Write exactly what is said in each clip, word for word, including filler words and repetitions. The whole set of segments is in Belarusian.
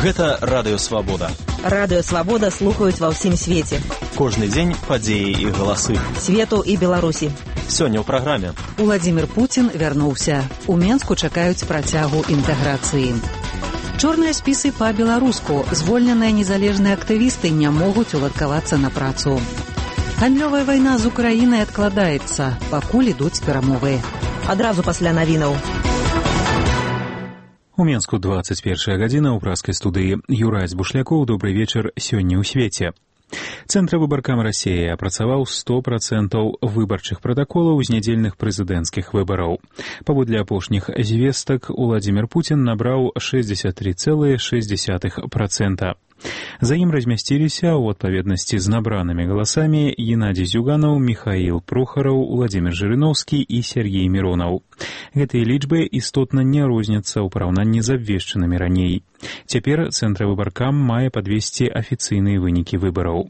Гэта Радыё Свабода. Радыё Свабода слухаюць ва ўсім свеце. Кожны дзень падзеі і галасы. Свету і Беларусі. Сёння ў праграме. Уладзімір Пуцін вярнуўся. У Менску чакаюць працягу інтэграцыі. Чорныя спісы па-беларуску. Звольненыя незалежныя актывісты не могуць уладкавацца на працу. Гандлёвая вайна з Украінай адкладаецца, пакуль ідуць перамовы. Адразу пасля навінаў. У Менску двадцать первая гадзіна, ў праскай студыі Юрась Бушлякоў. Добрый вечар сёння ў свеце. Цэнтр выбаркам Расіі апрацаваў сто процентаў выбарчых пратаколаў з нядзельных прэзідэнцкіх выбараў. Паводле апошніх звестак Уладзімір Пуцін набраў шэсцьдзесят три целых шесть десятых процента. За ім размясціліся ў адпаведнасці з набранымі галасамі Геннадзій Зюганаў, Міхаіл Прохараў, Уладзімір Жырыноўскі і Сергей Міронаў. Гэтыя лічбы істотна не розняцца ў параўнанні з абвешчанымі раней. Цяпер Цэнтр выбаркам мае падвесці афіцыйныя вынікі выбараў.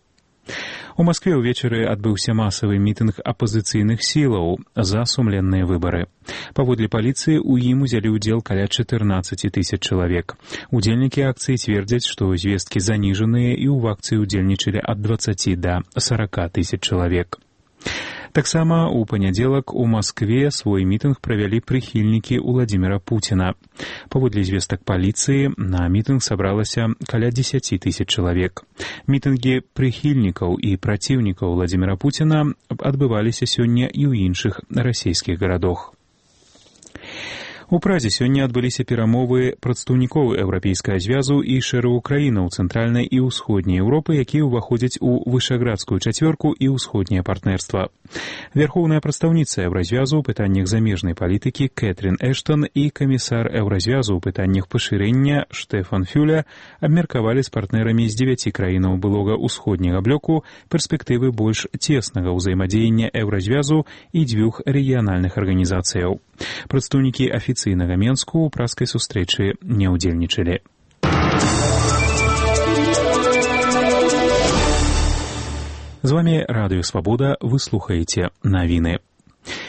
У Маскве ўвечары адбыўся масавы мітынг апазіцыйных сілаў за сумленныя выбары. Паводле паліцыі ў ім узялі ўдзел каля чатырнаццаць тысяч чалавек. Удзельнікі акцыі цвердзяць, што звесткі заніжаныя і ў акцыі ўдзельнічалі ад дваццаці да сарака тысяч чалавек. Таксама ў панядзелак у Маскве свой мітынг правялі прыхільнікі Уладзіміра Пуціна. Паводле звестак паліцыі, на мітынг сабралася каля дзесяці тысяч чалавек. Мітынгі прыхільнікаў і праціўнікаў Уладзіміра Пуціна адбываліся сёння і ў іншых расійскіх гарадах. У Празе сёння адбыліся перамовы прадстаўнікоў Еўрапейскага звязу і шэрагу краінаў цэнтральнай і ўсходняй Еўропы, якія ўваходзяць у вышаградскую чацвёрку і ўсходняе партнерства. Вярхоўная прадстаўніца Еўразвязу ў пытаннях замежнай палітыкі Кэтрин Эштон і камісар Еўразвязу ў пытаннях пашырэння Штэфан Фюля абмеркавалі з партнерамі з дзевяці краінаў былога ўсходняга блоку перспектывы больш цеснага ўзаемадзеяння Еўразвязу і дзвюх рэгіянальных арганізацыяў. Прадстаўнікі афіцыйнага Менску ў праскай сустрэчы не ўдзельнічалі. З вами Радыё Свабода, вы слухаеце навіны.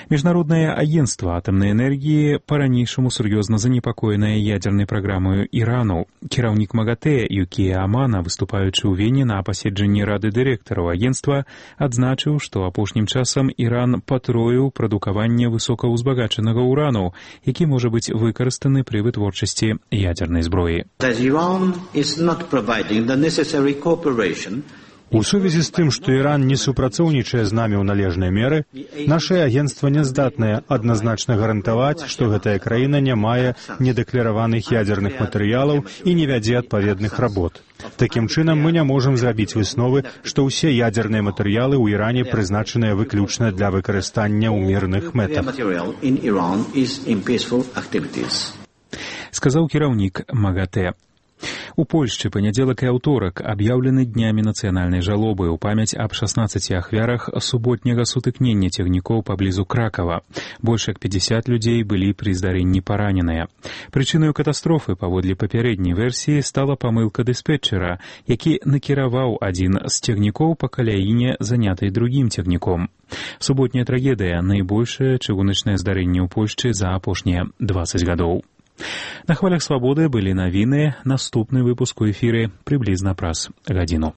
Міжнароднае агенцтва атамнай энергіі па-ранейшаму сур'ёзна занепакоенае ядзернай праграмаю Ірану. Кіраўнік МАГАТЭ Юкія Амана, выступаючы ў Вене на паседжанні рады дырэктараў агенцтва, адзначыў, што апошнім часам Іран патроіў прадукаванне высокаўзбагачанага ўрану, які можа быць выкарыстаны пры вытворчасці ядзернай зброі. У сувязі з тым, што Іран не супрацоўнічае з намі ў належнай меры, нашае агенцтва не здатнае адназначна гарантаваць, што гэтая краіна не мае недэклараваных ядзерных матэрыялаў і не вядзе адпаведных работ. Такім чынам, мы не можам зрабіць высновы, што ўсе ядзерныя матэрыялы ў Іране прызначаныя выключна для выкарыстання ў мірных мэтах. Сказаў кіраўнік МАГАТЭ. У Польшчы панядзелак і аўторак аб'яўлены днямі нацыянальнай жалобы ў памяць аб шаснаццаці ахвярах суботняга сутыкнення цягнікоў паблізу Кракава. Больш як пяцьдзясят людзей былі пры здарэнні параненыя. Прычынаю катастрофы, паводле папярэдняй версіі, стала памылка дыспетчера, які накіраваў адзін з цягнікоў па каляіне, занятай другім цягніком. Суботняя трагедыя — найбольшае чыгуначнае здарэнне ў Польшчы за апошнія дваццаць гадоў. На хвалях Свабоды былі навіны. Наступны выпуск у эфіры прыблізна праз гадзіну.